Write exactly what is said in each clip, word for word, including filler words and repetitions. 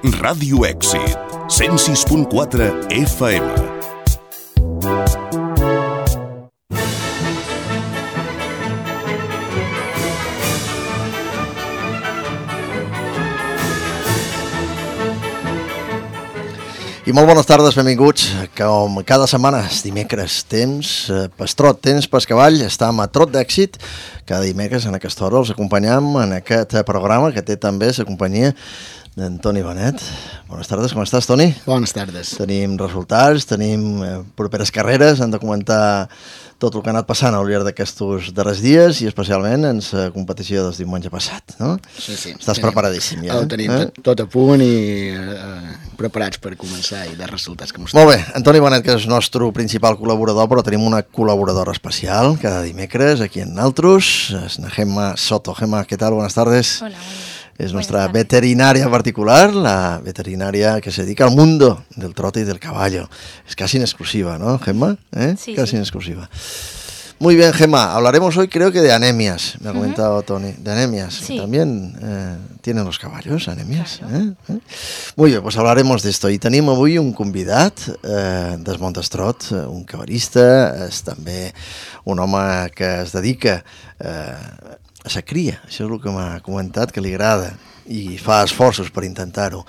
Ràdio Èxit, cent sis punt quatre F M. I molt bones tardes, benvinguts. Com cada setmana, dimecres, temps pas trot, temps pas cavall, estem a Trot d'Èxit. Cada dimecres en aquesta hora els acompanyam en aquest programa que té també la companyia d'en Toni Benet. Bones tardes, com estàs, Toni? Bones tardes. Tenim resultats, tenim eh, properes carreres, hem de comentar tot el que ha anat passant al llarg d'aquests darrers dies i especialment en la competició del diumenge passat, no? Sí, sí. Estàs tenim, preparadíssim ja. Ho tenim eh? tot, tot a punt i eh, preparats per començar i de resultats que mostrem. Molt bé, Antoni Benet, que és el nostre principal col·laborador, però tenim una col·laboradora especial cada dimecres aquí en Naltros, és la Gemma Soto. Gemma, què tal? Buenas tardes. Hola, hola. Es nuestra veterinaria particular, la veterinaria que se dedica al mundo del trote y del caballo. Es casi en exclusiva, ¿no, Gemma? ¿Eh? Sí, casi sí. en exclusiva. Muy bien, Gemma. Hablaremos hoy, creo que de anemias, me ha uh-huh. comentado Toni. De anemias. Sí. También eh, tienen los caballos anemias. Claro. ¿eh? ¿Eh? Muy bien, pues hablaremos de esto. I tenim avui un convidat eh, del món del trot, un cavallista, és també un home que es dedica eh, a la cria, això és el que m'ha comentat, que li agrada i fa esforços per intentar-ho.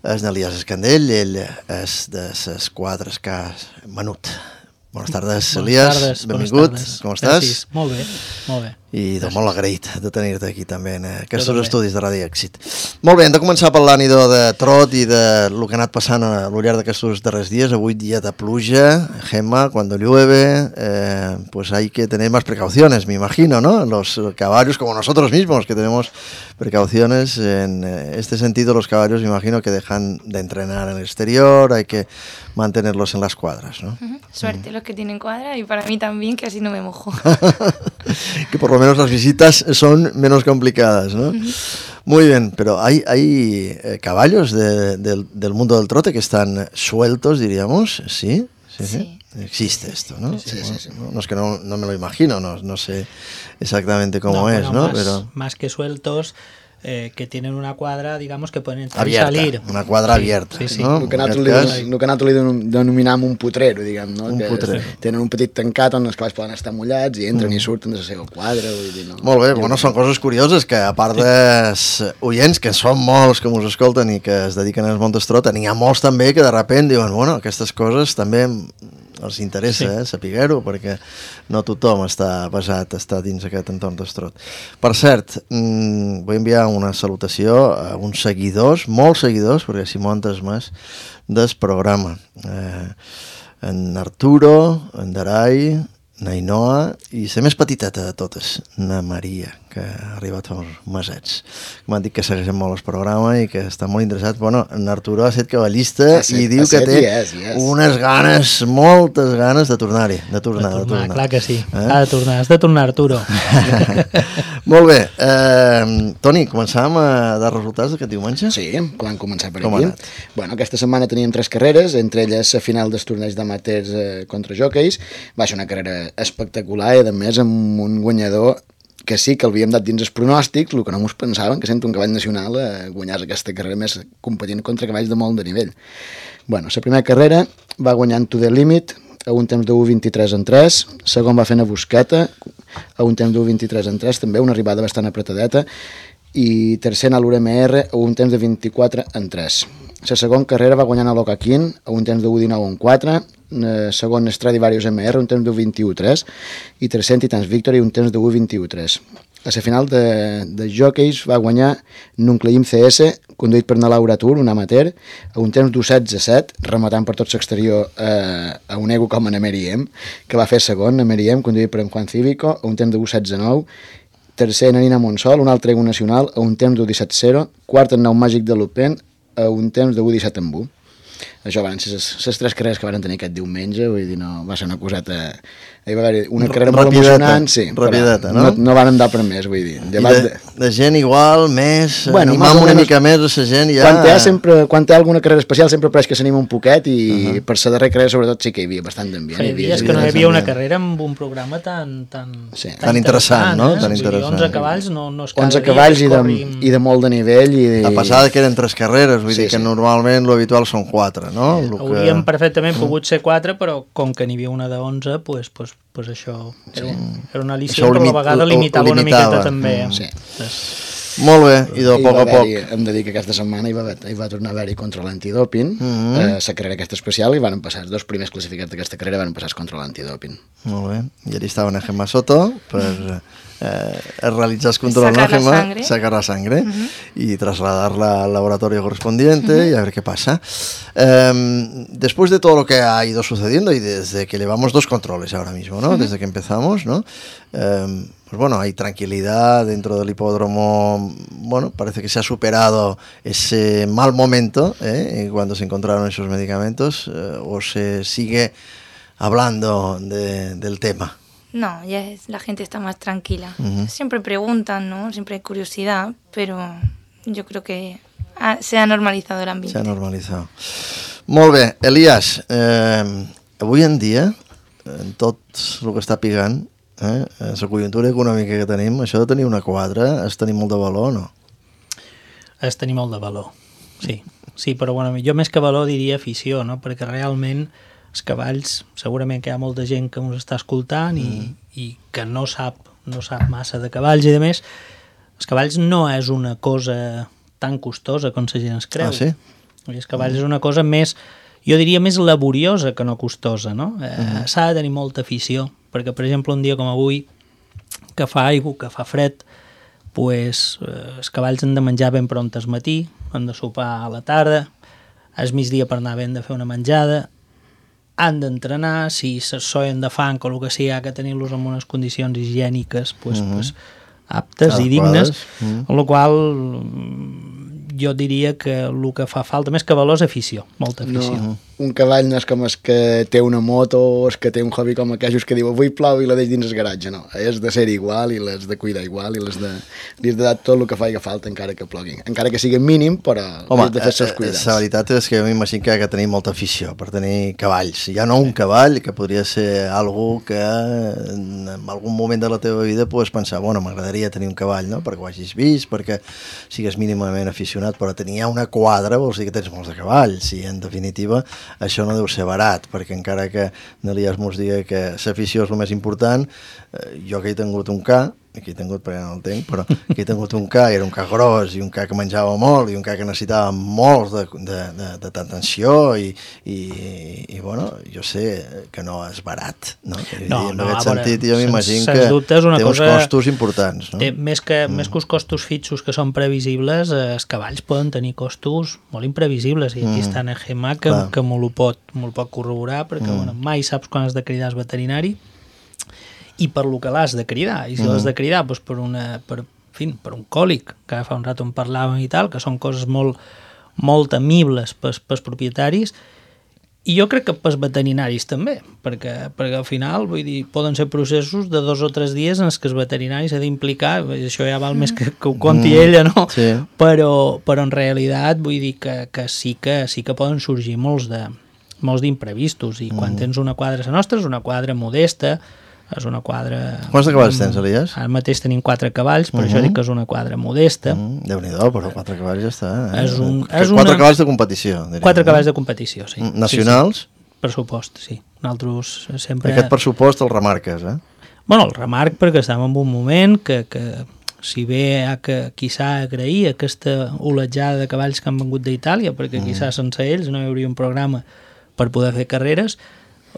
És n'Elias Escandell, ell és de les quadres que ha menut. Bones tardes, bones Elias, tardes, benvingut, bones tardes. Com estàs? Gràcies. Molt bé, molt bé. I de molt agraït de tenir-te aquí també en aquests també. estudis de Ràdio Èxit. Molt bé, hem de començar parlant idò de trot i de lo que ha anat passant a lo llarg d'aquests darrers dies. Avui dia de pluja, Gemma, cuando llueve, eh, pues hay que tener más precauciones, me imagino, ¿no? Los caballos, como nosotros mismos, que tenemos precauciones en este sentido, los caballos, me imagino que dejan de entrenar en el exterior, hay que mantenerlos en las cuadras, ¿no? Uh-huh. Suerte uh-huh. los que tienen cuadra y para mí también, que así no me mojo. Que por lo menos las visitas son menos complicadas, ¿no? Uh-huh. Muy bien, pero hay, hay eh, caballos de, de, del mundo del trote que están sueltos, diríamos, ¿sí? Sí, sí. Sí. Existe esto, ¿no? Sí, sí, sí, sí. No, no es que no, no me lo imagino, no, no sé exactamente cómo no, es, bueno, ¿no? Más, pero más que sueltos, eh, que tienen una cuadra, digamos, que pueden entrar abierta, y salir. una quadra sí, abierta, sí, sí. no? El que nosaltres li denominem un putrero, diguem, no? Un que putrero. Tenen un petit tancat on els cavalls poden estar mullats i entren mm. i surten de la seva quadra. Vull dir, no? Molt bé, bueno, són coses curioses que a part dels oients, que són molts que us escolten i que es dediquen al món del trot, n'hi ha molts també que de repent diuen, bueno, aquestes coses també els interessa, sí. eh, saber-ho, perquè no tothom està basat, està dins aquest entorn del trot. Per cert, mmm, vull enviar una salutació a uns seguidors, molts seguidors, perquè si montes més, del programa. Eh, en Arturo, en Darai, Nainoa i la més petiteta de totes, na Maria, que ha arribat fa uns mesets. M'han dit que segueixen molt el programa i que està molt interessat. Bueno, en Arturo ha estat cavallista ha set, i diu que té yes, yes. unes ganes, moltes ganes de tornar-hi, de tornar, de de tornar, tornar. clar que sí. Eh? Ha de tornar, has de tornar, Arturo. Molt bé. Eh, Toni, començàvem a dar resultats d'aquest diumenge? Sí, vam començar per Com aquí. ha anat? Bueno, aquesta setmana teníem tres carreres, entre elles la final dels torneigs d'amateurs eh, contra jockeys. Va ser una carrera espectacular i, a més, amb un guanyador que sí que l'havíem dat dins els pronòstics, el que no mos pensaven, que sent un cavall nacional eh, guanyàs aquesta carrera més competint contra cavalls de molt de nivell. Bueno, la primera carrera va guanyant To The Limit a un temps de u vint-i-tres en tres, segon va fent a Busqueta a un temps de u vint-i-tres en tres, també una arribada bastant apretadeta, i tercer a l'U R M R a un temps de vint-i-quatre en tres. La segona carrera va guanyant a l'Ocaquín a un temps de u dinou en quatre, eh, segon Stradivarius M R a un temps de u vint-i-u en tres i tercer Titans Victory a un temps de u vint-i-u en tres. A la final de, de jockeys va guanyar Nuncleim C S, conduït per na Laura Tur, un amateur, a un temps d'u setze set, rematant per tot l'exterior eh, a un ego com en Meriem, que va fer segon, a Meriem, conduït per en Juan Cívico, a un temps d'u setze nou, tercer en Nina Monsol, un altre ego nacional, a un temps d'u disset zero, quart en Nou Màgic de Lupin, a un temps de u disset en u. això van ser les tres carreres que van tenir aquest diumenge, vull dir, no, va ser una coseta... Hi va haver una carrera molt emocionant, sí, rapideta, no? no? No van anar per més, vull dir. I de, de gent igual, més, bueno, animam una mica més a la gent ja... Quan té, sempre, quan té alguna carrera especial sempre pareix que s'anima un poquet i uh -huh. per la darrera carrera sobretot sí que hi havia bastant d'ambient. Feia dies que no hi havia una carrera amb un programa tan, tan, sí. tan, tan interessant, no? Eh? Tan interessant. onze cavalls no, no és cada onze dia cavalls i de, corrim... i de molt de nivell. I de... A passar que eren tres carreres, vull sí, dir que sí. normalment l'habitual són quatre, no? Sí, haurien que... perfectament pogut ser quatre, però com que n'hi havia una d'onze, pues, pues, pues això era, sí. era una al·lició, però a la vegada limitava, limitava una miqueta també. Mm, sí. Sí. Molt bé, i de poc a poc. Hem de dir que aquesta setmana hi va, hi va tornar a haver-hi contra l'antidoping, mm -hmm. eh, la carrera aquesta especial, i van passar, els dos primers classificats d'aquesta carrera van passar contra l'antidoping. Molt bé, i allà estaven a Gemma Soto per eh, realitzar el control, sacar ¿no, Gemma? la sangre. Sacar la sangre Uh -huh. y trasladarla al laboratorio correspondiente uh -huh. y a ver qué pasa. Eh, después de todo lo que ha ido sucediendo y desde que llevamos dos controles ahora mismo, ¿no? Uh -huh. Desde que empezamos, ¿no? Eh, pues bueno, hay tranquilidad dentro del hipódromo. Bueno, parece que se ha superado ese mal momento ¿eh? cuando se encontraron esos medicamentos eh, o se sigue hablando de, del tema. No, ya es, la gente está más tranquila. Uh-huh. Siempre preguntan, ¿no? Siempre hay curiosidad, pero yo creo que ha, se ha normalizado el ambiente. Se ha normalitzat. Molt bé, Elias, eh, avui en dia, en tot el que està pigant, eh, la conjuntura econòmica que tenim, això de tenir una quadra, és tenir molt de valor o no? És tenir molt de valor, sí. Sí, però bueno, jo més que valor diria afició, no? Perquè realment els cavalls, segurament que hi ha molta gent que ens està escoltant i, mm. i que no sap, no sap massa de cavalls i de més, els cavalls no és una cosa tan costosa com la gent es creu. Ah, sí? Els cavalls mm. és una cosa més, jo diria més laboriosa que no costosa, no? Eh, mm. S'ha de tenir molta afició, perquè per exemple un dia com avui, que fa aigua, que fa fred, pues, eh, els cavalls han de menjar ben pront al matí, han de sopar a la tarda, al migdia per anar ben de fer una menjada, han d'entrenar, si se soien de fang o el que sigui, ha que tenir-los en unes condicions higièniques pues, mm-hmm. pues, aptes ah, i dignes, mm. amb la qual jo diria que el que fa falta, més que valor, és afició, molta afició. No, un cavall no és com el que té una moto o el que té un hobby com aquells que diu avui plou i la deix dins el garatge, no. És de ser igual i l'has de cuidar igual i l'has de, li has de dar tot el que faci falta encara que plogui. Encara que sigui mínim, però home, has de fer els seus cuidats. La veritat és que jo m'imagino que ha de tenir molta afició per tenir cavalls. Ja no un cavall, que podria ser algú que en algun moment de la teva vida pots pensar, bueno, m'agradaria tenir un cavall, no? Perquè ho hagis vist, perquè sigues mínimament aficionat, però tenir una quadra vols dir que tens molts de cavalls i en definitiva això no deu ser barat, perquè encara que n'Elias mos digui que l'afició és el més important, eh, jo que he tingut un ca, que he tingut perquè no el tinc, però que he tingut un ca, era un ca gros i un ca que menjava molt i un ca que necessitava molts de, de, de, de atenció i, i, i bueno, jo sé que no és barat, no? No, I en no, aquest veure, sentit jo m'imagino que dubte és una té cosa, uns costos importants, no? Té, més, que, mm. més que els costos fixos que són previsibles, eh, els cavalls poden tenir costos molt imprevisibles i aquí mm. està en Gemma que, que m'ho pot, pot corroborar perquè mm. bueno, mai saps quan has de cridar el veterinari i per lo que l'has de cridar, i si mm. l'has de cridar doncs per, una, per, en fi, per un còlic, que fa un rato en parlàvem i tal, que són coses molt, molt temibles pels, pels propietaris, i jo crec que pels veterinaris també, perquè, perquè al final vull dir, poden ser processos de dos o tres dies en els que els veterinaris s'ha d'implicar, això ja val més que, que ho conti mm. ella, no? Sí. Però, però en realitat vull dir que, que, sí que sí que poden sorgir molts de molts d'imprevistos, i quan mm. tens una quadra, la nostra és una quadra modesta, és una quadra... Quants de cavalls tens, Elias? Ara mateix tenim quatre cavalls, per uh -huh. això dic que és una quadra modesta. Uh -huh. Déu-n'hi-do, però quatre cavalls ja està. Eh? És un, és una... Quatre cavalls de competició. Diríem, quatre eh? cavalls de competició, sí. Nacionals? Sí, sí. Pressupost, sí. Nosaltres sempre... Aquest pressupost el remarques, eh? Bueno, el remarc perquè estem en un moment que, que si bé ha que quizà agrair aquesta olejada de cavalls que han vengut d'Itàlia, perquè mm. quizà sense ells no hi hauria un programa per poder fer carreres,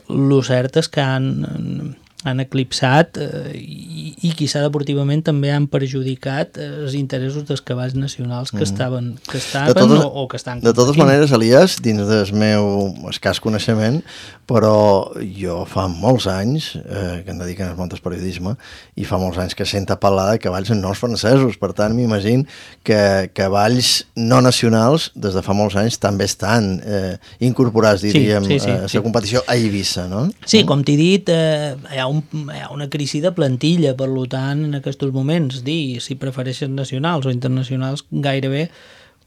el cert és que han... han eclipsat eh, i, i quizà deportivament també han perjudicat eh, els interessos dels cavalls nacionals que mm. estaven, que estaven totes, o, o que estan de totes maneres, Elias, dins del meu escàs coneixement, però jo fa molts anys eh, que em dediquen als montes periodisme i fa molts anys que sento parlar de cavalls en noms francesos, per tant m'imagino que cavalls no nacionals des de fa molts anys també estan eh, incorporats, diríem, sí, sí, sí, a la sí. competició a Eivissa, no? Sí, com t'he dit, eh, hi ha Un, hi ha una crisi de plantilla, per tant, en aquests moments, dir si prefereixes nacionals o internacionals, gairebé,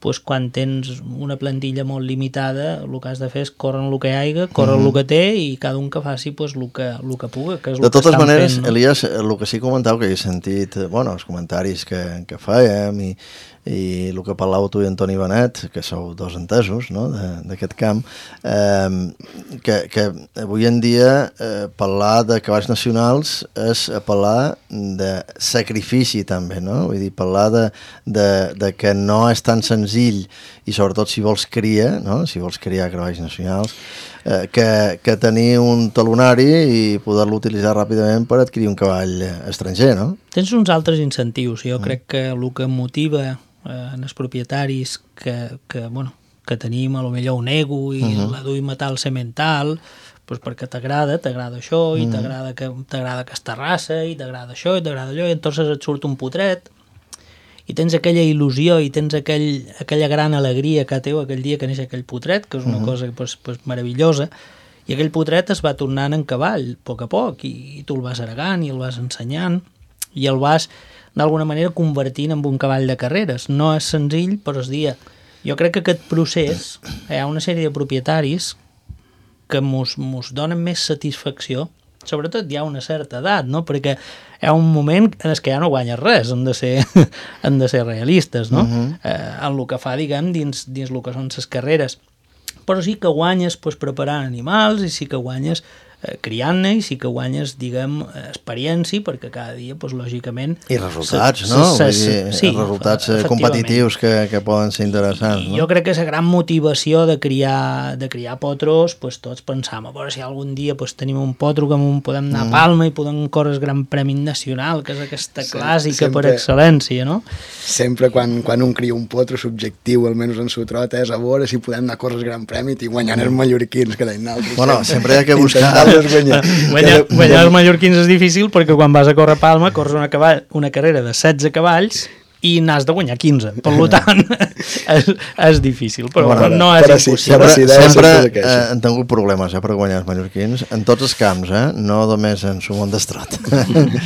pues, quan tens una plantilla molt limitada, el que has de fer és córrer el que hi hagi, córrer mm-hmm. el que té i cada un que faci pues, el, que, el que puga, que és el de totes que maneres, fent, no? Elias, el que sí comentau, que he sentit, bueno, els comentaris que, que fèiem i, i el que parlàveu tu i Antoni Benet, que sou dos entesos, no?, d'aquest camp, eh, que, que avui en dia eh, parlar de cavalls nacionals és parlar de sacrifici també, no? Vull dir, parlar de, de, de que no és tan senzill i sobretot si vols criar, no?, si vols criar cavalls nacionals, eh, que, que tenir un talonari i poder-lo utilitzar ràpidament per adquirir un cavall estranger, no? Tens uns altres incentius. Jo mm. crec que el que motiva en els propietaris que, que, bueno, que tenim a lo millor un ego i uh-huh. la duim a tal semental, pues perquè t'agrada, t'agrada això i uh-huh. t'agrada que t'agrada aquesta raça i t'agrada això i t'agrada allò i entonces et surt un potret i tens aquella il·lusió i tens aquell, aquella gran alegria que teu aquell dia que neix aquell potret, que és una uh-huh. cosa pues, pues, meravellosa, i aquell potret es va tornant en cavall a poc a poc i, i tu el vas heregant i el vas ensenyant i el vas d'alguna manera convertint en un cavall de carreres. No és senzill, però es dia. Jo crec que aquest procés, hi ha una sèrie de propietaris que mos, mos donen més satisfacció, sobretot hi ha una certa edat, no? Perquè hi ha un moment en què ja no guanyes res, han de ser, han de ser realistes, no? Uh-huh. eh, en el que fa, diguem, dins, dins el que són les carreres. Però sí que guanyes pues, preparant animals i sí que guanyes eh, criant-ne i sí que guanyes, diguem, experiència, perquè cada dia, pues, lògicament... I resultats, se, no? Se, se, Vull dir, sí, resultats competitius que, que poden ser interessants, I, no? Jo crec que la gran motivació de criar, de criar potros, pues, tots pensam, a veure si algun dia pues, tenim un potro que podem anar mm. a Palma i podem córrer el Gran Premi Nacional, que és aquesta clàssica sempre, per excel·lència, no? Sempre quan, quan un cria un potro, l'objectiu, almenys en su trot, és a veure si podem anar a córrer el Gran Premi i guanyant els mallorquins, que deien altres. Bueno, sempre hi ha que buscar... Guanyar, guanyar, guanyar els mallorquins és difícil perquè quan vas a córrer a Palma corres una, cavall, una carrera de setze cavalls i n'has de guanyar quinze, per tant és, és difícil, però, bueno, però no és però impossible. Sí, sempre sempre eh, han tingut problemes eh, per guanyar els mallorquins en tots els camps, eh? No només en su món d'estrot.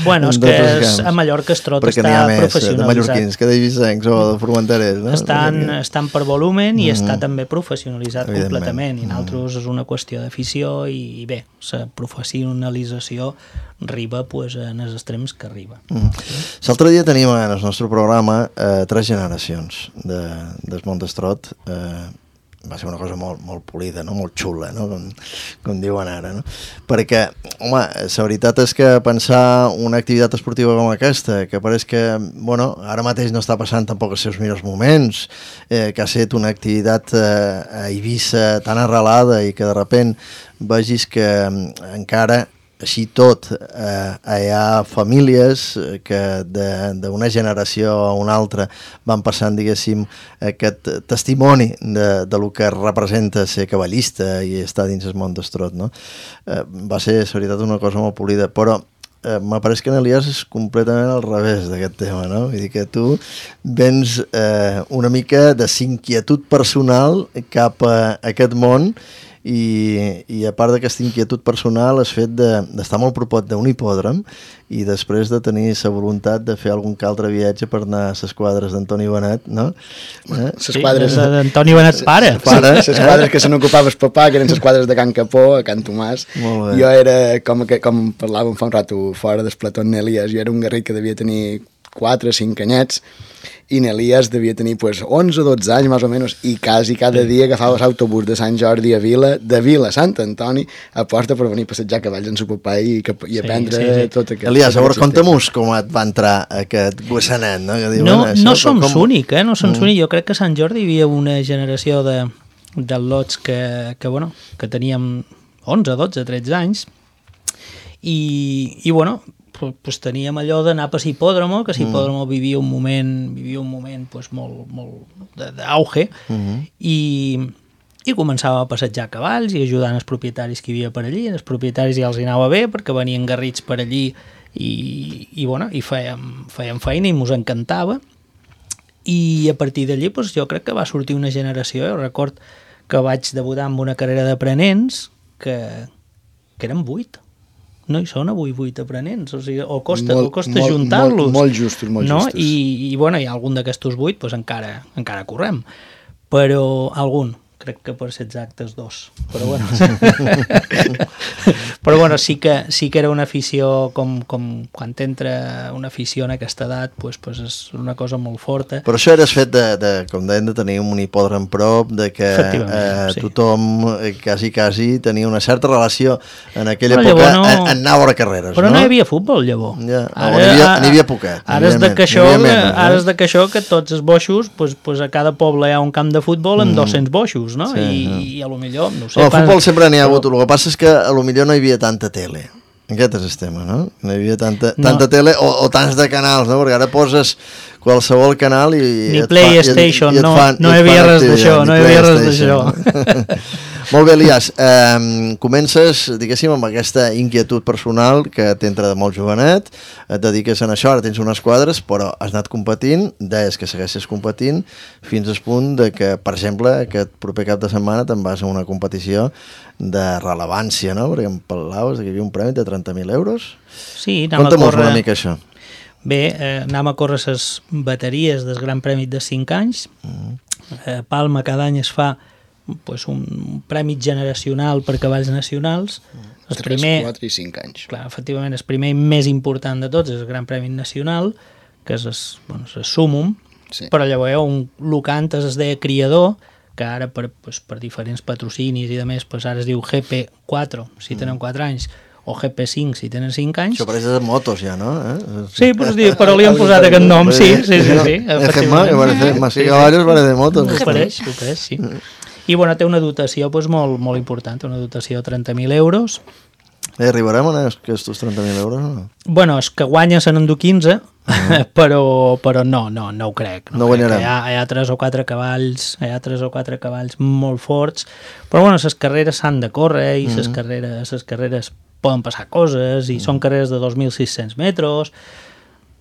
Bueno, és que és, a Mallorca estrot perquè està més, professionalitzat. De mallorquins que d'eivissencs o de formenterers, no? Estan, estan per volumen i mm. està també professionalitzat completament i nosaltres mm. és una qüestió d'afició i, i bé, la professionalització arriba pues, en els extrems que arriba. Mm. L'altre dia tenim en el nostre programa eh, tres generacions de, del món d'estrot. Eh, va ser una cosa molt, molt polida, no? Molt xula, no? Com, com diuen ara, no? Perquè, home, la veritat és que pensar una activitat esportiva com aquesta, que pareix que, bueno, ara mateix no està passant tampoc els seus millors moments, eh, que ha estat una activitat eh, a Eivissa tan arrelada i que de repent vegis que eh, encara així tot, eh, hi ha famílies que d'una generació a una altra van passant, diguéssim, aquest testimoni de, de lo que representa ser cavallista i estar dins el món d'estrot, no? Eh, va ser, la veritat, una cosa molt polida, però eh, m'apareix que en Elias és completament al revés d'aquest tema, no? Vull dir que tu vens eh, una mica de inquietud personal cap a aquest món i, i a part d'aquesta inquietud personal has fet d'estar de, molt propot d'un hipòdrom i després de tenir la voluntat de fer algun altre viatge per anar a les quadres d'Antoni Benet, no? Eh? Les quadres sí, d'Antoni Benet pare. pare les eh? quadres que se n'ocupava el papà, que eren les quadres de Can Capó, a Can Tomàs. Jo era, com, que, com parlàvem fa un rato fora del plató en Elias, jo era un guerrer que devia tenir quatre o cinc anyets i n'Elias devia tenir pues, onze o dotze anys més o menys i quasi cada dia agafava l'autobús de Sant Jordi a Vila, de Vila a Sant Antoni a porta per venir a passejar cavalls en su papà i, i aprendre sí, sí, sí. tot aquest... Elias, a veure, conta'm-nos com et va entrar aquest gossanet, no? Que diu, no, bueno, no som com... únic, eh? No som mm. únic. Jo crec que a Sant Jordi hi havia una generació de, de lots que, que, bueno, que teníem onze, dotze, tretze anys i, i bueno, pues teníem allò d'anar per l'hipòdromo, que l'hipòdromo mm. vivia un moment, vivia un moment pues, molt, molt d'auge, mm-hmm. i, i començàvem a passejar cavalls i ajudant els propietaris que hi havia per allí. Els propietaris ja els hi anava bé perquè venien garrits per allí i, i, bueno, i fèiem, fèiem feina i mos encantava. I a partir d'allí pues, jo crec que va sortir una generació. Jo record que vaig debutar amb una carrera d'aprenents que, que eren vuit. No hi són avui vuit aprenents, o sigui, o costa, molt, o costa juntar-los. Molt, molt justos, molt no? justos. I, i, bueno, hi ha algun d'aquestos vuit, pues, encara, encara correm. Però algun, crec que per ser exactes dos. Però bueno, però bueno sí, que, sí que era una afició, com, com quan t'entra una afició en aquesta edat, pues, pues és una cosa molt forta. Però això era el fet de, de, com deien, de tenir un hipòdrom prop, de que eh, sí. tothom eh, quasi, quasi tenia una certa relació en aquella però època, no... en, en anar a veure carreres. Però no, no hi havia futbol, llavors. Ja, ara, n'hi havia, n'hi havia poquet. Ara és de que això, ara és de que això que tots els boixos, pues, pues a cada poble hi ha un camp de futbol amb mm. dos-cents boixos, no? Sí, I, no. i a lo millor, no ho sé... El futbol sempre n'hi ha hagut, el que passa és que a lo millor no hi havia tanta tele. Aquest és el tema, no? No hi havia tanta, no. tanta tele o, o tants de canals, no? Perquè ara poses qualsevol canal i... Ni PlayStation, no, no hi havia res d'això, no hi havia res d'això. Molt bé, Elias, eh, comences, diguéssim, amb aquesta inquietud personal que t'entra de molt jovenet, et dediques en això, ara tens unes quadres, però has anat competint, deies que segueixes competint, fins al punt de que, per exemple, aquest proper cap de setmana te'n vas a una competició de rellevància, no? Perquè em parlaves que hi havia un premi de trenta mil euros. Sí, anàvem Conta'm a córrer... una mica això. Bé, eh, anàvem a córrer les bateries del Gran Premi de cinc anys. Mm. Eh, Palma cada any es fa pues, un premi generacional per cavalls nacionals. tres, primer, quatre i cinc anys. Clar, efectivament, el primer i més important de tots és el Gran Premi Nacional, que és el, bueno, el súmum, sí. Però llavors un locant es deia criador, que ara per, pues, per diferents patrocinis i de més, pues, ara es diu G P quatre, si tenen quatre anys, o G P cinc, si tenen cinc anys. Això pareix de motos ja, no? Eh? Sí, però, però li han posat aquest nom, sí, sí, sí. sí, Ejemma, que parece, más que caballos parece de motos. Ho pareix, ho pareix, sí. I bueno, té una dotació pues, molt, molt important, una dotació de trenta mil euros. Eh, arribarem a aquests trenta mil euros? No? Bueno, és que guanya se n'endú quinze, uh-huh. però, però no, no, no ho crec. No, no guanyarem. Hi ha, hi ha tres o quatre cavalls, hi ha tres o quatre cavalls molt forts, però bueno, les carreres s'han de córrer i les uh-huh. carreres, les carreres poden passar coses i uh-huh. són carreres de dos mil sis-cents metres.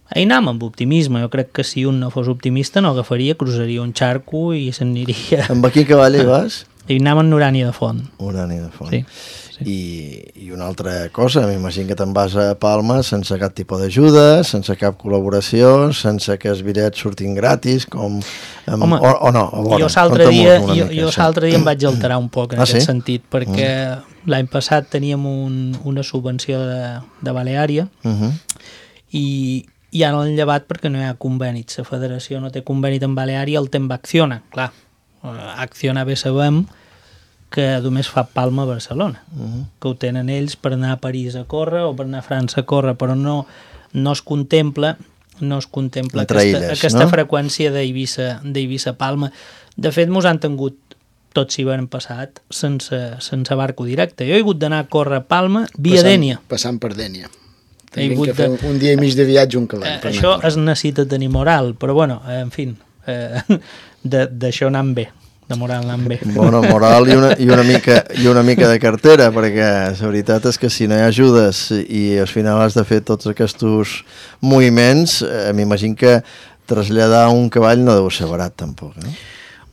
Ahir anàvem amb optimisme, jo crec que si un no fos optimista no agafaria, cruzaria un xarco i se'n aniria. Amb quin cavall hi vas? I anàvem amb Urània de Font. Urània de Font. Sí. sí. I, I una altra cosa, m'imagino que te'n vas a Palma sense cap tipus d'ajuda, sense cap col·laboració, sense que els bitllets surtin gratis, com... Amb, Home, o, o no, a veure, jo l'altre dia, jo, jo l'altre dia em vaig alterar un poc en ah, aquest sí? sentit, perquè mm. l'any passat teníem un, una subvenció de, de Baleària uh-huh. i i ara l'han llevat perquè no hi ha conveni. La federació no té conveni amb Baleària, el té amb Acciona. Clar, Acciona bé sabem que només fa Palma a Barcelona, uh-huh. que ho tenen ells per anar a París a córrer o per anar a França a córrer, però no, no es contempla no es contempla aquesta, illes, aquesta no? freqüència d'Eivissa-Palma. De fet, mos han tingut tot s'hivern passat sense, sense barco directe. Jo he hagut d'anar a córrer a Palma via passant, Dénia. Passant per Dénia. Tenim que fer un, un dia i mig de viatge un cavall. Eh, això es necessita tenir moral, però bueno, eh, en fi, eh, d'això anant bé, de moral anant bé. Bueno, moral i una, i, una mica, i una mica de cartera, perquè la veritat és que si no hi ajudes i al final has de fer tots aquests moviments, eh, m'imagino que traslladar un cavall no deu ser barat tampoc, eh?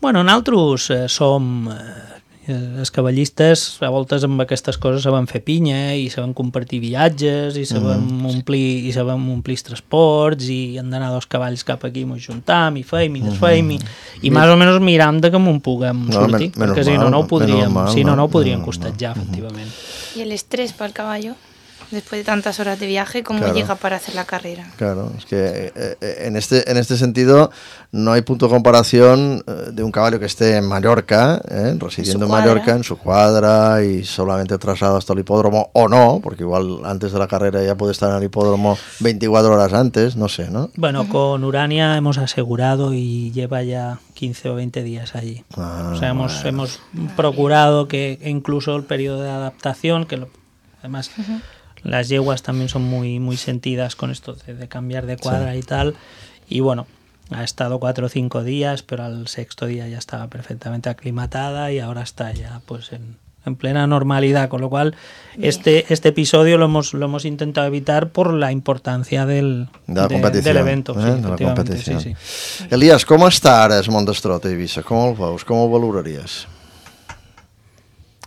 Bueno, nosaltres eh, som... Eh, els cavallistes a voltes amb aquestes coses saben fer pinya i saben compartir viatges i saben mm. omplir i saben omplir els transports i han d'anar dos cavalls cap aquí i mos juntam i feim i desfeim i, i més o menys miram de que m'ho puguem no, sortir men, perquè si no no ho podríem mal, si no no ho podríem costatjar efectivament. I el estrès pel caballo después de tantas horas de viaje, ¿cómo claro. llega para hacer la carrera? Claro, es que eh, en, este, en este sentido no hay punto de comparación eh, de un caballo que esté en Mallorca, eh, residiendo en, en Mallorca, en su cuadra y solamente trasladado hasta el hipódromo, o no, porque igual antes de la carrera ya puede estar en el hipódromo veinticuatro horas antes, no sé, ¿no? Bueno, uh-huh. con Urania hemos asegurado y lleva ya quince o veinte días allí. Ah, o sea, hemos, bueno. hemos procurado que incluso el periodo de adaptación, que lo, además... Uh-huh. las yeguas también son muy, muy sentidas con esto de, de cambiar de cuadra sí. y tal, y bueno, ha estado cuatro o cinco días, pero al sexto día ya estaba perfectamente aclimatada y ahora está ya pues en, en plena normalidad, con lo cual este, este episodio lo hemos, lo hemos intentado evitar por la importancia del, de la de, del evento. Eh? Sí, de la competició. Sí, sí. Elias, com està ara el Montestrot a Eivissa? Com el veus? Com el valoraries?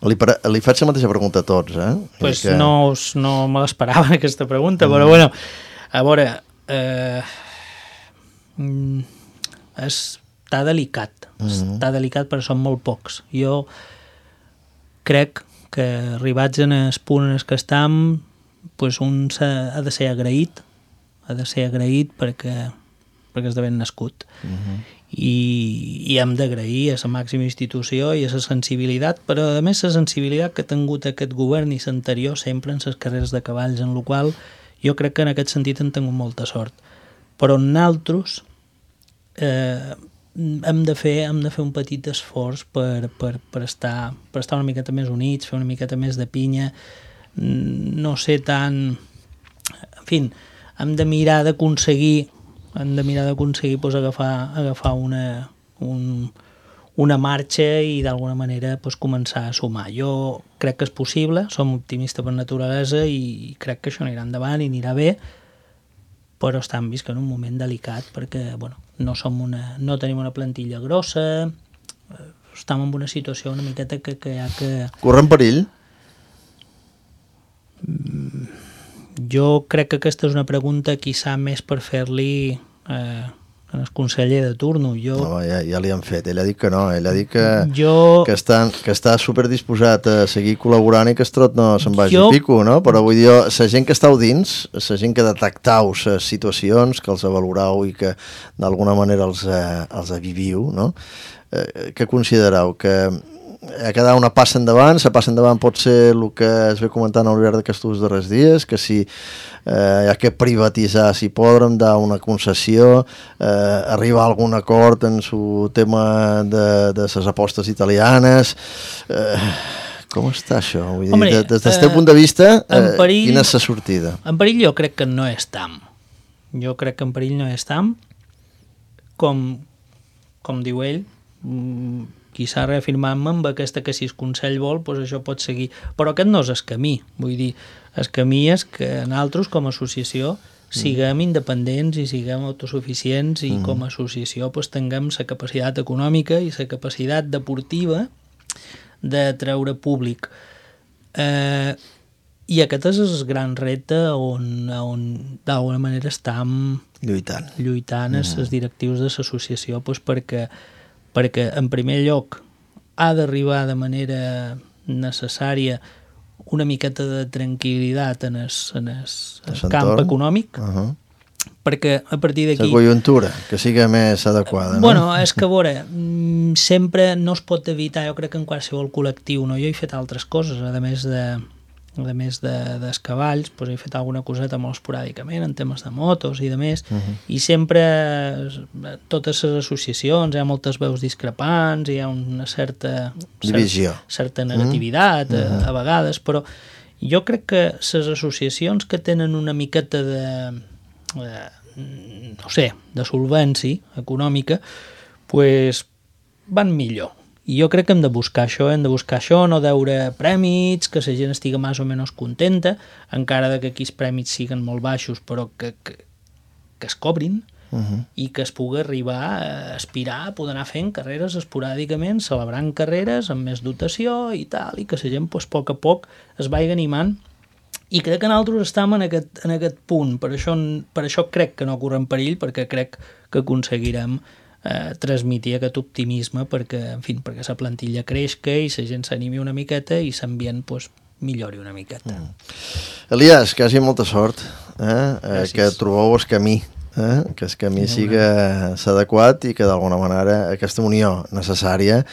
Li, li faig la mateixa pregunta a tots, eh? Pues que... no, no me l'esperava aquesta pregunta, mm. però bueno, a veure, eh, està delicat, mm. està delicat perquè són molt pocs. Jo crec que arribats en el punt en què estem, pues un ha de ser agraït, ha de ser agraït perquè, perquè és de ben nascut. Mm-hmm. I, i hem d'agrair a la màxima institució i a la sensibilitat, però a més la sensibilitat que ha tingut aquest govern i l'anterior sempre en les carreres de cavalls, en la qual jo crec que en aquest sentit hem tingut molta sort. Però nosaltres eh, hem, de fer, hem de fer un petit esforç per, per, per, estar, per estar una miqueta més units, fer una miqueta més de pinya, no ser tan... En fi, hem de mirar d'aconseguir hem de mirar d'aconseguir pues, agafar, agafar una, un, una marxa i d'alguna manera pues, començar a sumar. Jo crec que és possible, som optimista per naturalesa i crec que això anirà endavant i anirà bé, però estem vist en un moment delicat perquè bueno, no, som una, no tenim una plantilla grossa, estem en una situació una miqueta que, que hi ha que... Corren perill? Mm, jo crec que aquesta és una pregunta quizà més per fer-li eh, al conseller de turno. Jo... No, ja, ja li han fet, ell ha dit que no, ell ha dit que, jo... que, està, que està superdisposat a seguir col·laborant i que Estrot no se'n vagi jo... a pico, no? Però vull dir, la gent que estàu dins, la gent que detectau les situacions, que els valorau i que d'alguna manera els, eh, els viviu, no? Eh, què considereu? Que ha quedat una passa endavant, la passa endavant pot ser el que es ve comentant al llarg d'aquests darrers dies, que si eh, hi ha que privatitzar, si podrem dar una concessió, eh, arribar a algun acord en el tema de, de les apostes italianes... Eh, com està això? Vull dir, Hombre, des, des del eh, teu punt de vista, eh, perill, quina és la sortida? En perill jo crec que no estem. Jo crec que en perill no estem. Com, com diu ell, quizà reafirmant-me amb aquesta que si el Consell vol, doncs això pot seguir. Però aquest no és el camí. Vull dir, el camí és que nosaltres, com a associació, siguem independents i siguem autosuficients i mm. com a associació doncs, tinguem la capacitat econòmica i la capacitat deportiva de treure públic. Eh, I aquest és el gran repte on, on d'alguna manera estem lluitant, lluitant mm. els directius de l'associació doncs, perquè perquè, en primer lloc, ha d'arribar de manera necessària una miqueta de tranquil·litat en el, en el, el camp econòmic, uh -huh. perquè a partir d'aquí... La conjuntura, que sigui més adequada, no? Bueno, és que, a veure, sempre no es pot evitar, jo crec que en qualsevol col·lectiu, no? Jo he fet altres coses, a més de... a més de, dels cavalls, doncs he fet alguna coseta molt esporàdicament en temes de motos i de més, uh -huh. i sempre totes les associacions hi ha moltes veus discrepants, hi ha una certa divisió, certa, certa negativitat uh -huh. a, a vegades, però jo crec que les associacions que tenen una miqueta de, de no sé, de solvència econòmica, pues van millor. I jo crec que hem de buscar això, hem de buscar això, no deure prèmits, que la gent estigui més o menys contenta, encara que aquí els prèmits siguin molt baixos, però que, que, que es cobrin uh -huh. i que es pugui arribar a aspirar a poder anar fent carreres esporàdicament, celebrant carreres amb més dotació i tal, i que la gent pues, a poc a poc es vagi animant. I crec que nosaltres estem en aquest, en aquest punt, per això, per això crec que no correm perill, perquè crec que aconseguirem Eh, transmitir aquest optimisme perquè, en fi, perquè la plantilla creixca i la gent s'animi una miqueta i l'ambient pues, millori una miqueta. Mm. Elias, que hagi molta sort, eh? Eh, que trobeu el camí, eh? Que el camí sí, sigui adequat i que d'alguna manera aquesta unió necessària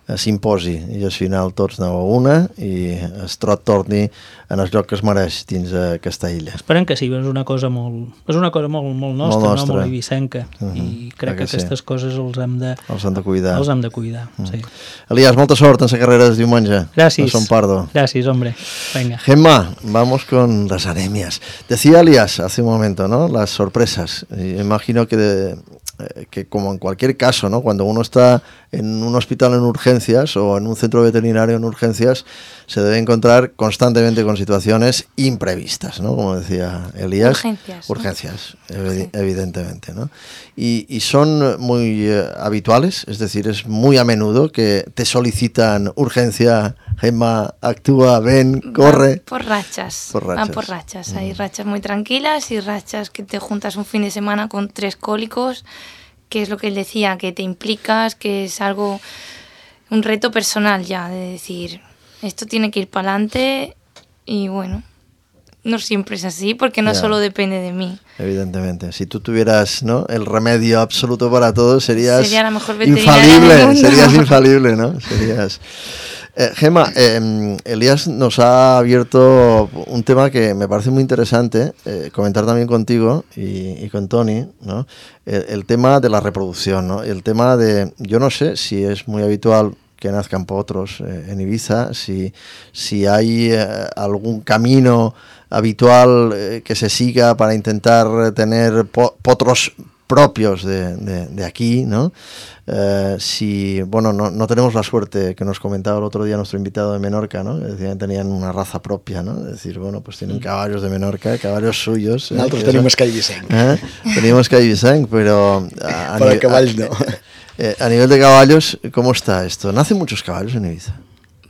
eh, s'imposi i al final tots aneu a una i es trot torni en el lloc que es mereix dins aquesta illa. Esperem que sí, és una cosa molt, és una cosa molt, molt nostra, molt, nostra. No? Molt ibicenca, uh -huh. i crec que, que aquestes sí. coses els hem de, els hem de cuidar. Els hem de cuidar, uh -huh. sí. Elías, molta sort en la carrera de diumenge. Gracias. Son Pardo. Gracias, hombre. Venga. Gemma, vamos con las anemias. Decía Elías hace un momento, ¿no? Las sorpresas. Y imagino que, de, eh, que como en cualquier caso, ¿no? Cuando uno está en un hospital en urgencias o en un centro veterinario en urgencias, se debe encontrar constantemente con situaciones imprevistas, ¿no? Como decía Elías. Urgencias. Urgencias, ¿no? evi- evidentemente, ¿no? Y, y son muy eh, habituales, es decir, es muy a menudo que te solicitan urgencia, Gemma, actúa, ven, corre. Va por rachas. Por rachas. Van por rachas. Mm. Hay rachas muy tranquilas y rachas que te juntas un fin de semana con tres cólicos, que es lo que él decía, que te implicas, que es algo, un reto personal ya, de decir, esto tiene que ir para adelante y bueno, no siempre es así porque no yeah. solo depende de mí. Evidentemente, si tú tuvieras, ¿no?, el remedio absoluto para todo, serías Sería la mejor veterinaria infalible, del mundo. serías infalible, ¿no? Serías... Eh, Gemma, eh, Elías nos ha abierto un tema que me parece muy interesante eh, comentar también contigo y, y con Toni, ¿no? El, el tema de la reproducción, ¿no? El tema de, yo no sé si es muy habitual que nazcan potros eh, en Ibiza, si, si hay eh, algún camino habitual eh, que se siga para intentar tener po- potros propios de, de, de aquí, ¿no? Eh, si, bueno, no, no tenemos la suerte que nos comentaba el otro día nuestro invitado de Menorca, ¿no? Que decían que tenían una raza propia, ¿no? Es decir, bueno, pues tienen caballos de Menorca, caballos suyos. ¿eh? Nosotros tenemos que Ibicenc. ¿Eh? Tenemos que Ibicenc, pero... A, a Para ni- caballos no. Eh, a nivel de caballos, ¿cómo está esto? ¿Nacen muchos caballos en Ibiza?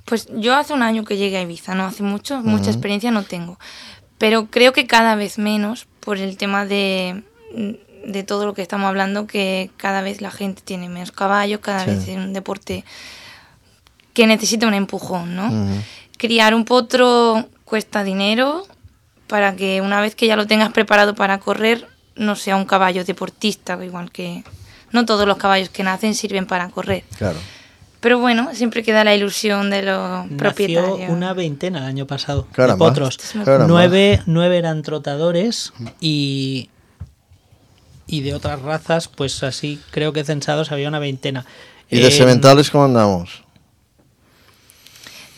Pues yo hace un año que llegué a Ibiza, no hace mucho, uh-huh. mucha experiencia no tengo, pero creo que cada vez menos por el tema de, de todo lo que estamos hablando, que cada vez la gente tiene menos caballos, cada sí. vez es un deporte que necesita un empujón, ¿no? Uh-huh. Criar un potro cuesta dinero para que una vez que ya lo tengas preparado para correr, no sea un caballo deportista, igual que no todos los caballos que nacen sirven para correr. Claro. Pero bueno, siempre queda la ilusión de los Nació propietarios. una veintena el año pasado Caramba. de potros. Nueve, nueve eran trotadores y, y de otras razas, pues así creo que censados había una veintena. ¿Y de eh, sementales cómo andamos?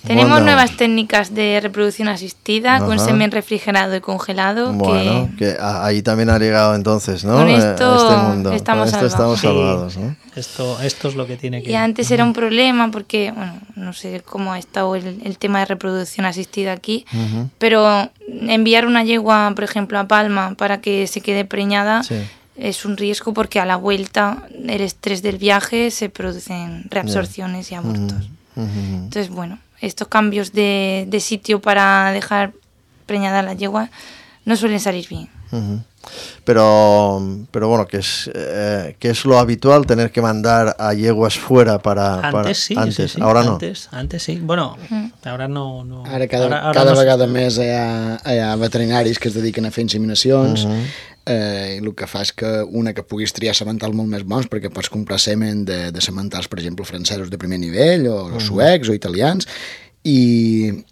Tenemos nuevas técnicas de reproducción asistida, ajá, con semen refrigerado y congelado. Bueno, que, que ahí también ha llegado entonces, ¿no? Con esto, a este mundo. Estamos, con esto salvados. estamos salvados, ¿no? Esto, esto es lo que tiene que... Y antes era un problema porque, bueno, no sé cómo ha estado el, el tema de reproducción asistida aquí, uh-huh. pero enviar una yegua, por ejemplo, a Palma para que se quede preñada, sí, es un riesgo porque a la vuelta, el estrés del viaje, se producen reabsorciones yeah. y abortos. Uh-huh. Uh-huh. Entonces, bueno, estos cambios de, de sitio para dejar preñada a la yegua no suelen salir bien. Uh-huh. Pero, pero bueno, que es, eh, que es lo habitual tener que mandar a yeguas fuera para... Antes para, sí, antes. sí, sí. Ahora antes, no. Antes sí. Bueno, uh-huh. ara no... no. Ara cada, ara, ara cada no vegada més hi ha, hi ha veterinaris que es dediquen a fer inseminacions, uh-huh. eh, i el que fa és que una que puguis triar sementals molt més bons, perquè pots comprar semen de, de sementals, per exemple, francesos de primer nivell, o, uh-huh. o suecs, o italians, i...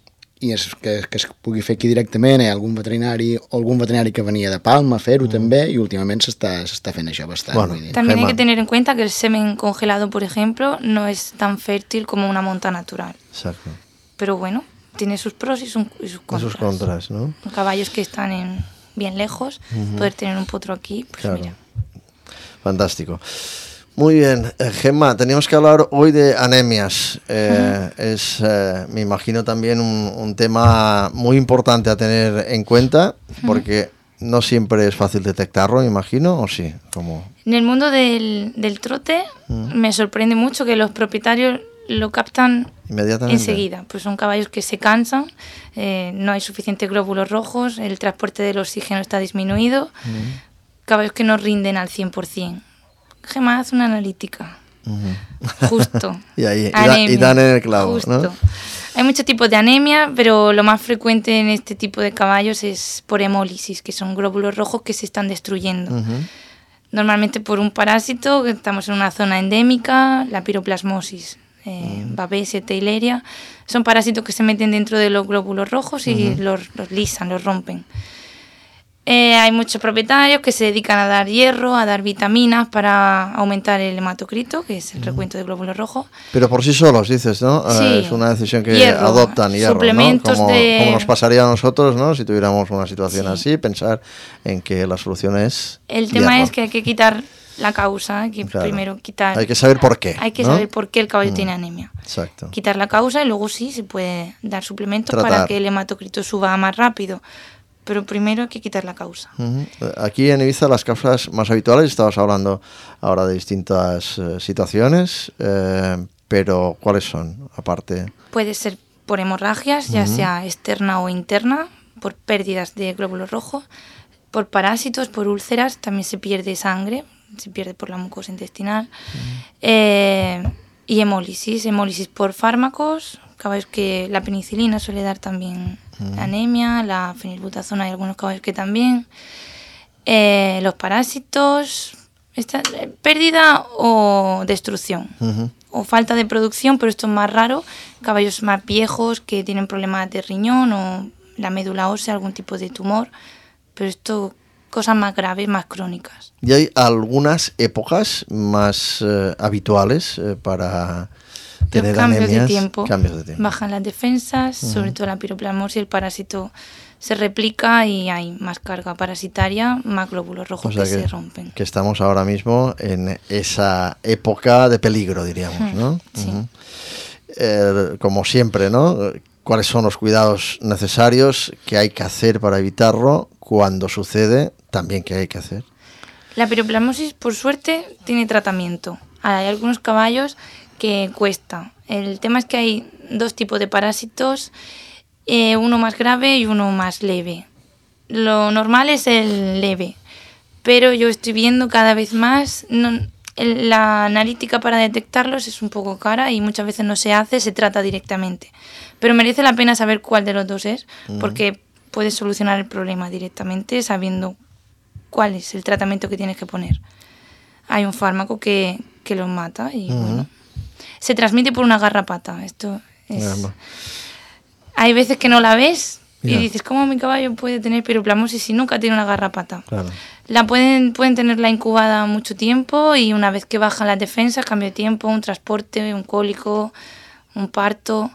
i és que, que es pugui fer aquí directament, hi ha algun veterinari o algun veterinari que venia de Palma a fer-ho mm. també, i últimament s'està, s'està fent això bastant. Bueno, también hay que tener en cuenta que el semen congelado, por ejemplo, no es tan fértil como una monta natural. Exacto. Pero bueno, tiene sus pros y sus, y sus contras. Sus contras, ¿no? Caballos que están en, bien lejos, uh-huh. poder tener un potro aquí, pues claro. Mira. Fantástico. Muy bien, eh, Gemma, teníamos que hablar hoy de anemias. Eh, uh-huh. Es, eh, me imagino, también un, un tema muy importante a tener en cuenta, porque uh-huh. no siempre es fácil detectarlo, me imagino, ¿o sí? ¿Cómo? En el mundo del, del trote uh-huh. me sorprende mucho que los propietarios lo captan enseguida. Pues son caballos que se cansan, eh, no hay suficientes glóbulos rojos, el transporte del oxígeno está disminuido, uh-huh. caballos que no rinden al cien por ciento. Gemma hace una analítica. Uh-huh. Justo. y ahí anemia, y, da, y dan en el clavo, justo. ¿no? Hay muchos tipos de anemia, pero lo más frecuente en este tipo de caballos es por hemólisis, que son glóbulos rojos que se están destruyendo. Uh-huh. Normalmente por un parásito, que estamos en una zona endémica, la piroplasmosis. eh, Babés, Theileria. Son parásitos que se meten dentro de los glóbulos rojos y uh-huh. los, los lisan, los rompen. Eh, hay muchos propietarios que se dedican a dar hierro, a dar vitaminas para aumentar el hematocrito, que es el recuento de glóbulos rojos. Pero por sí solos, dices, ¿no? Sí. Eh, es una decisión que hierro, adoptan hierro, suplementos, ¿no? Como, de... como nos pasaría a nosotros, ¿no? Si tuviéramos una situación Sí. así, pensar en que la solución es El tema hierro. es que hay que quitar la causa, hay que Claro. primero quitar... Hay que saber por qué, Hay que ¿no? saber por qué el caballo Mm. tiene anemia. Exacto. Quitar la causa y luego sí se puede dar suplementos Tratar. para que el hematocrito suba más rápido. Pero primero hay que quitar la causa. Uh-huh. Aquí en Ibiza las causas más habituales, estabas hablando ahora de distintas eh, situaciones, eh, pero ¿cuáles son? Aparte, Puede ser por hemorragias, ya Ujú. sea externa o interna, por pérdidas de glóbulos rojos, por parásitos, por úlceras, también se pierde sangre, se pierde por la mucosa intestinal, eh, y hemólisis, hemólisis por fármacos, caballos que la penicilina suele dar también anemia, la fenilbutazona hay algunos caballos que también, eh, los parásitos, esta, eh, pérdida o destrucción. uh-huh. O falta de producción, pero esto es más raro, caballos más viejos que tienen problemas de riñón o la médula ósea, algún tipo de tumor, pero esto, cosas más graves, más crónicas. ¿Y hay algunas épocas más eh, habituales eh, para tener Los cambios anemias? de tiempo, Cambios de tiempo. bajan las defensas, Ujú. sobre todo la piroplasmosis, el parásito se replica y hay más carga parasitaria, más glóbulos rojos O sea que, que, se rompen. que estamos ahora mismo en esa época de peligro, diríamos, ¿no? Sí. Uh-huh. Eh, como siempre, ¿no? ¿Cuáles son los cuidados necesarios que hay que hacer para evitarlo? Cuando sucede, también qué hay que hacer. La piroplasmosis, por suerte, tiene tratamiento. Hay algunos caballos que cuesta. El tema es que hay dos tipos de parásitos, eh, uno más grave y uno más leve. Lo normal es el leve, pero yo estoy viendo cada vez más... No, el, la analítica para detectarlos es un poco cara y muchas veces no se hace, se trata directamente. Pero merece la pena saber cuál de los dos es, uh-huh. porque puedes solucionar el problema directamente sabiendo cuál es el tratamiento que tienes que poner. Hay un fármaco que, que los mata y uh-huh. bueno, se transmite por una garrapata. Esto es... Yeah. Hay veces que no la ves y yeah. dices, ¿cómo mi caballo puede tener piroplasmosis si nunca tiene una garrapata? Claro. La pueden, pueden tenerla incubada mucho tiempo y una vez que bajan las defensas, cambio de tiempo, un transporte, un cólico, un parto,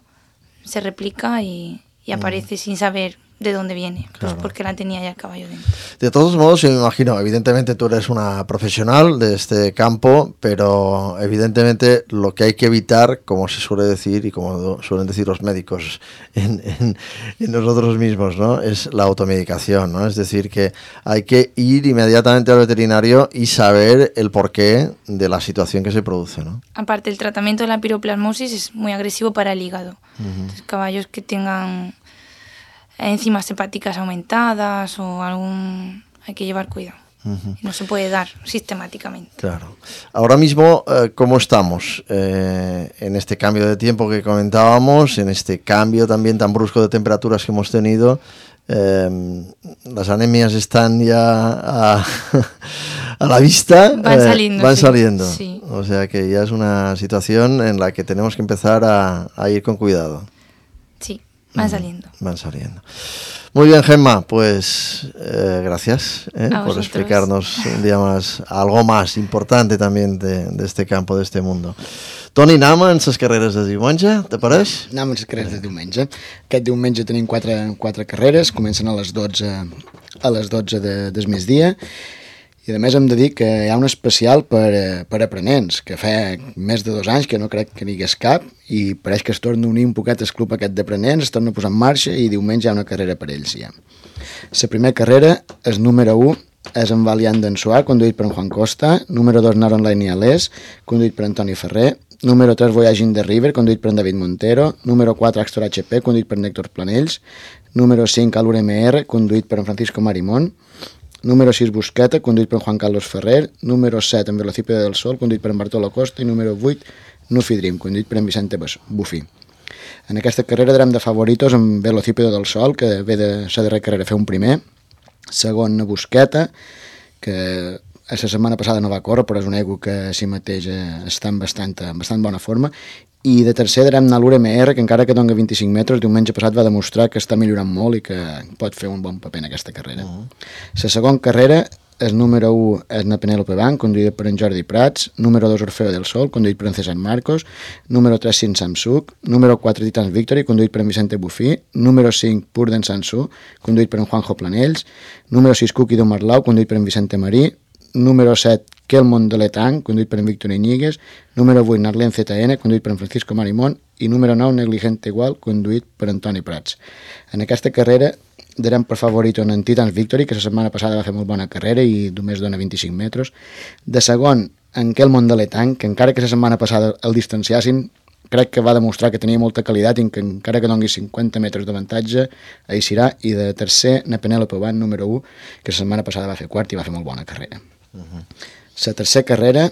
se replica y, y aparece mm. sin saber de dónde viene, Claro. pues porque la tenía ya el caballo dentro. De todos modos, yo me imagino, evidentemente tú eres una profesional de este campo, pero evidentemente lo que hay que evitar, como se suele decir y como suelen decir los médicos en, en, en nosotros mismos, ¿no? Es la automedicación, ¿no? Es decir, que hay que ir inmediatamente al veterinario y saber el porqué de la situación que se produce, ¿no? Aparte, el tratamiento de la piroplasmosis es muy agresivo para el hígado. Uh-huh. Entonces, caballos que tengan enzimas hepáticas aumentadas o algún... hay que llevar cuidado. Uh-huh. No se puede dar sistemáticamente. Claro. Ahora mismo, eh, ¿cómo estamos eh, en este cambio de tiempo que comentábamos, en este cambio también tan brusco de temperaturas que hemos tenido? Eh, las anemias están ya a, a la vista. Van saliendo. Eh, van sí. saliendo. Sí. O sea que ya es una situación en la que tenemos que empezar a, a ir con cuidado. Sí. Van saliendo. Van saliendo. Muy bien, Gemma, pues eh, gracias eh, por vosotros. explicarnos un día más algo más importante también de, de este campo, de este mundo. Toni, anem amb les carreres de diumenge, te pareix? Anem amb les carreres de diumenge. Aquest diumenge tenim quatre, quatre carreres, comencen a les dotze, a les dotze de, del migdia. I a més hem de dir que hi ha un especial per, per aprenents, que fa més de dos anys que no crec que n'hi hagués cap, i pareix que es torna a unir un poquet el club aquest d'aprenents, es torna a posar en marxa i diumenge hi ha una carrera per ells ja. La primera carrera, el número u, és en Valiant d'Ansuà, conduït per en Juan Costa, número dos, Nar Online i Alès, conduït per Antoni Ferrer, número tres, Voyaging the River, conduït per en David Montero, número quatre, Axtor H P, conduït per en Héctor Planells, número cinc, Alur M R, conduït per en Francisco Marimón, número sis, Busqueta, conduït per en Juan Carlos Ferrer, número set, en Velocípede del Sol, conduït per en Bartolo Costa, i número vuit, Nufi Dream, conduït per en Vicente Bufí. En aquesta carrera darem de favoritos en Velocípede del Sol, que ve de la darrera carrera a fer un primer, segon, Busqueta, que la setmana passada no va córrer, però és un ego que a si mateix està en bastant, en bastant bona forma, i de tercer darem anar a l'U R M R, que encara que dona vint-i-cinc metres, diumenge passat va demostrar que està millorant molt i que pot fer un bon paper en aquesta carrera. La uh-huh. segona carrera, el número u és na Penélope Bank, conduïda per en Jordi Prats, número dos Orfeo del Sol, conduït per en César Marcos, número tres Sin Samsung, número quatre Titans Victory, conduït per en Vicente Bufí, número cinc Purden Sansu, conduït per en Juanjo Planells, número sis Cookie d'Omarlau, conduït per en Vicente Marí, número set Kelmon de l'Etang, conduït per en Víctor Iñiguez, número vuit Narlen Z N, conduït per en Francisco Marimón, i número nou Negligente Igual, conduït per Antoni Prats. En aquesta carrera darem per favorit en Titans Victory, que la setmana passada va fer molt bona carrera i només dona vint-i-cinc metres. De segon, en Kelmon de l'Etang, que encara que la setmana passada el distanciassin, crec que va demostrar que tenia molta qualitat i que encara que doni cinquanta metres d'avantatge, ahí serà. I de tercer, na Penélope Bank, número u, que la setmana passada va fer quart i va fer molt bona carrera. La uh-huh. tercera carrera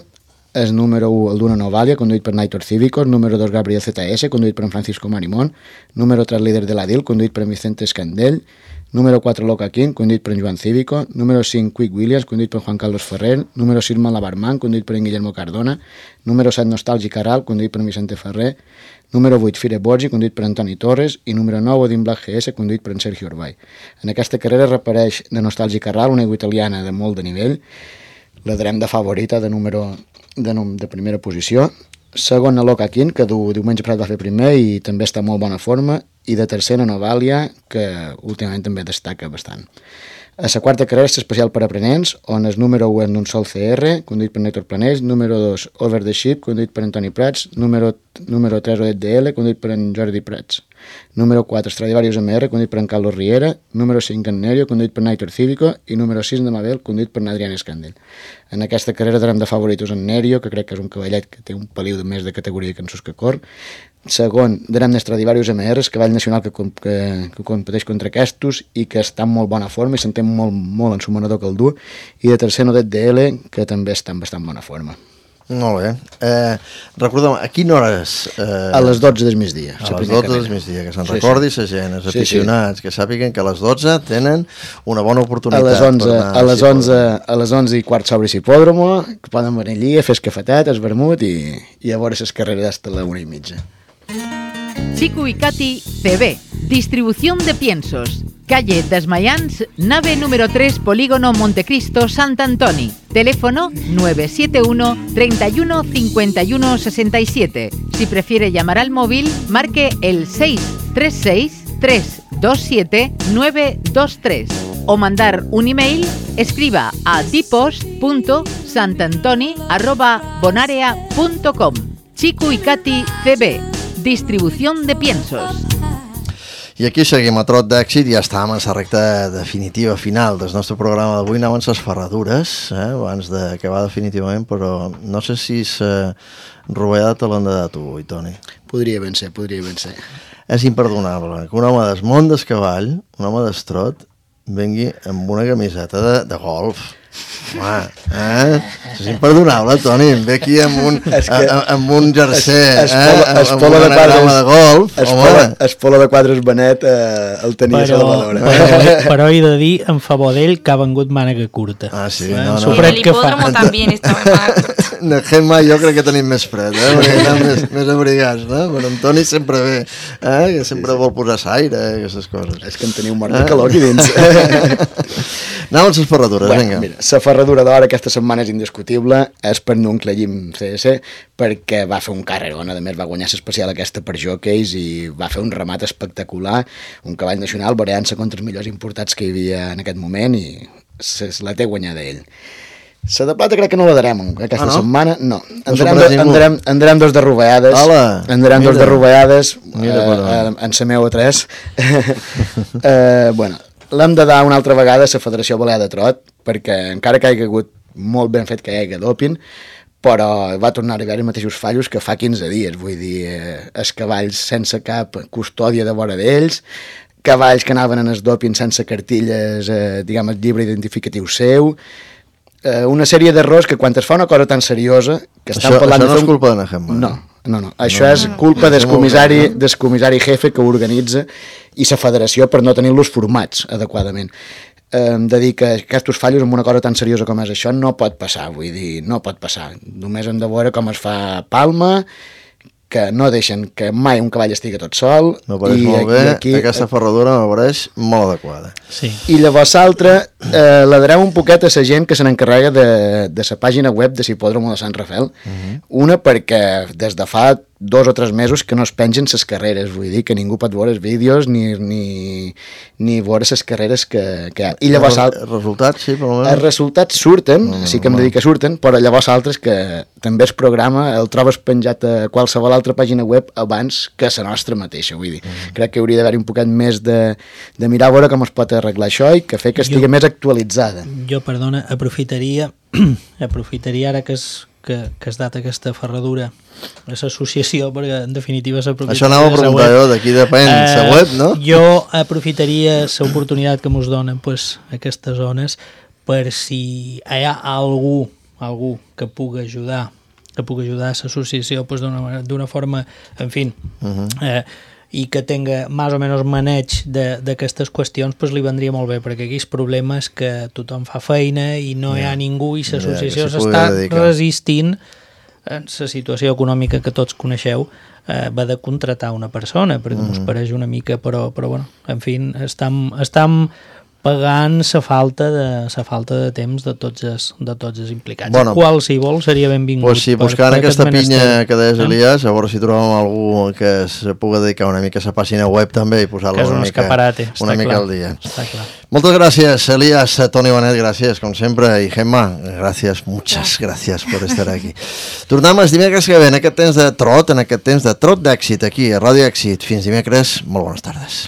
és número u, el d'una Novalia, conduït per Naitor Cívicos, número dos Gabriel Z S, conduït per en Francisco Marimón, número tres líder de la D I L, conduït per en Vicente Escandell, número quatre Loca King, conduït per en Joan Cívico, número cinc Quick Williams, conduït per Juan Carlos Ferrer, número sis Malabarman, conduït per en Guillermo Cardona, número set Nostàlgic Aral, conduït per en Vicente Ferrer, número vuit Fire Borgi, conduït per Antoni Torres, i número nou Odin Black G S, conduït per en Sergio Urbay. En aquesta carrera reapareix de Nostàlgic Aral, una aigua italiana de molt de nivell, la darem de favorita de número de, de primera posició. Segona Loca King, que du, diumenge passat va fer primer i també està en molt bona forma, i de tercera Novalia, que últimament també destaca bastant. A la quarta carrera és especial per aprenents, on el número u és un sol C R, conduït per Néstor Planells, número dos Over the Ship, conduït per Antoni Prats, número, número tres Odet D L, conduït per en Jordi Prats, número quatre Stradivarius M R, conduït per en Carlos Riera, número cinc Nerio, conduït per Naitor Cívico, i número sis de Mabel, conduït per Adrián Escandell. En aquesta carrera darem de favoritos en Nerio, que crec que és un cavallet que té un peliu de més de categoria que en sus que cor. Segon, darem Stradivarius M R, el cavall nacional que, que, que competeix contra aquests i que està en molt bona forma i s'entén molt, molt en su manador que el du. I de tercer, Nodet D L, que també està en bastant bona forma. Molt bé. Eh, recorda'm, a quina hora és? Eh... A les dotze del migdia. A les dotze del migdia, que se'n sí, recordi sí. la gent, els aficionats, sí, sí. que sàpiguen que a les dotze tenen una bona oportunitat. A les onze, a les onze, a les onze i quart s'obre l'hipòdromo, que poden venir allí a fer el cafetet, el vermut i, i a veure les carreres hasta la una i mitja. Chico y Katy C B, distribución de piensos. Calle Desmayans, nave número tres, Polígono Montecristo, Sant Antoni. Teléfono nueve siete uno, treinta y uno, cincuenta y uno, sesenta y siete. Si prefiere llamar al móvil, marque el seis tres seis, tres dos siete, nueve dos tres. O mandar un email, escriba a dipost punto santantoni arroba bonarea punto com. Chico y Katy C B, distribución de piensos. I aquí seguim a trot d'èxit, ja estàvem en la recta definitiva final del nostre programa d'avui, anaven les ferradures, eh, abans d'acabar definitivament, però no sé si la rovellada te l'han de dar tu avui, Toni. Podria ben ser, podria ben ser. És imperdonable que un home del món del cavall, un home d'estrot, vengui amb una camiseta de, de golf. Home, eh? És imperdonable, Toni, em ve aquí amb un, es que, a, amb un jersey, es, es eh? Es amb un anagrama de golf. Es pola, es pola de quadres Benet eh, el tenia però, Salvador. Però, però he de dir, en favor d'ell, que ha vengut mànega curta. Ah, sí? Eh? No, no. I el hipòdromo també estava en mànega curta. De Gemma jo crec que tenim més fred, eh? Perquè estan més, més abrigats, no? Però en Toni sempre ve, eh? Que sempre sí, sí. vol posar l'aire, eh? Aquestes coses. És que en teniu mort de calor aquí dins. Anem a les ferradures, bueno, vinga. Mira, la ferradura d'hora aquesta setmana és indiscutible, és per Nuncle Llim C S, perquè va fer un carrerón, a més va guanyar l'especial aquesta per jockeys i va fer un remat espectacular, un cavall nacional variant-se contra els millors importats que hi havia en aquest moment i se la té guanyada ell. La de plata crec que no la darem aquesta ah, no? setmana, no. En darem, en darem dos de rovellades, en darem dos de rovellades eh, en la meva tres. eh, bueno, l'hem de dar una altra vegada a la Federació Balear de Trot, perquè encara que hi ha hagut molt ben fet que hi hagi doping, però va tornar a haver els mateixos fallos que fa quinze dies, vull dir, eh, els cavalls sense cap custòdia de vora d'ells, cavalls que anaven en el doping sense cartilles, eh, diguem, el llibre identificatiu seu, eh, una sèrie d'errors que quan es fa una cosa tan seriosa... Que això parlant això no de és un... culpa de Najem. No, no, no. Això no, és culpa no, del comissari, del comissari jefe que ho organitza i la federació per no tenir-los formats adequadament. Eh, de dir que aquests fallos amb una cosa tan seriosa com és això no pot passar, vull dir, no pot passar. Només hem de veure com es fa Palma, que no deixen que mai un cavall estigui tot sol. M'apareix molt bé, aquí, aquesta ferradura m'apareix molt adequada. Sí. I llavors l'altra, eh, la darem un poquet a la gent que se n'encarrega de, de la pàgina web de l'hipòdromo de Sant Rafael. Uh -huh. Una perquè des de fa dos o tres mesos que no es pengen les carreres, vull dir que ningú pot veure els vídeos ni, ni, ni veure les carreres que, que hi ha. I llavors, els resultats, sí, per almenys. Els resultats surten, no, sí que em no. dedica que surten, però llavors altres que també el programa el trobes penjat a qualsevol altra pàgina web abans que la nostra mateixa, vull dir. Mm. Crec que hauria d'haver un poquet més de, de mirar a veure com es pot arreglar això i que fer que estigui jo, més actualitzada. Jo, perdona, aprofitaria aprofitaria ara que es que, que has dat aquesta ferradura a l'associació, perquè en definitiva s'aprofitaria... Això anava a preguntar jo, d'aquí depèn, eh, la web, no? Jo aprofitaria l'oportunitat que mos donen pues, aquestes zones per si hi ha algú, algú que pugui ajudar que pugui ajudar a l'associació pues, d'una forma, en fi, uh -huh. eh, i que tenga més o menys maneig d'aquestes qüestions, pues, li vendria molt bé, perquè aquí el problema és que tothom fa feina i no yeah. hi ha ningú i l'associació yeah, s'està resistint en la situació econòmica que tots coneixeu, eh, va de contratar una persona, perquè mm. us pareix una mica, però, però bueno, en fi, estem, estem pagant la falta de la falta de temps de tots els, de tots els implicats. Bueno, qualsevol seria benvingut. Pues sí, buscant per, per aquesta pinya que deies, Elias, a veure si trobem algú que se pugui dedicar una mica a la pàgina web també i posar-la una, un mica, una mica clar, al dia. Està clar. Moltes gràcies, Elias, Toni Bonet, gràcies, com sempre, i Gemma, gràcies, muchas gràcies per estar aquí. Tornem els dimecres que ve, en aquest temps de trot, en aquest temps de trot d'èxit, aquí a Ràdio Èxit. Fins dimecres, molt bones tardes.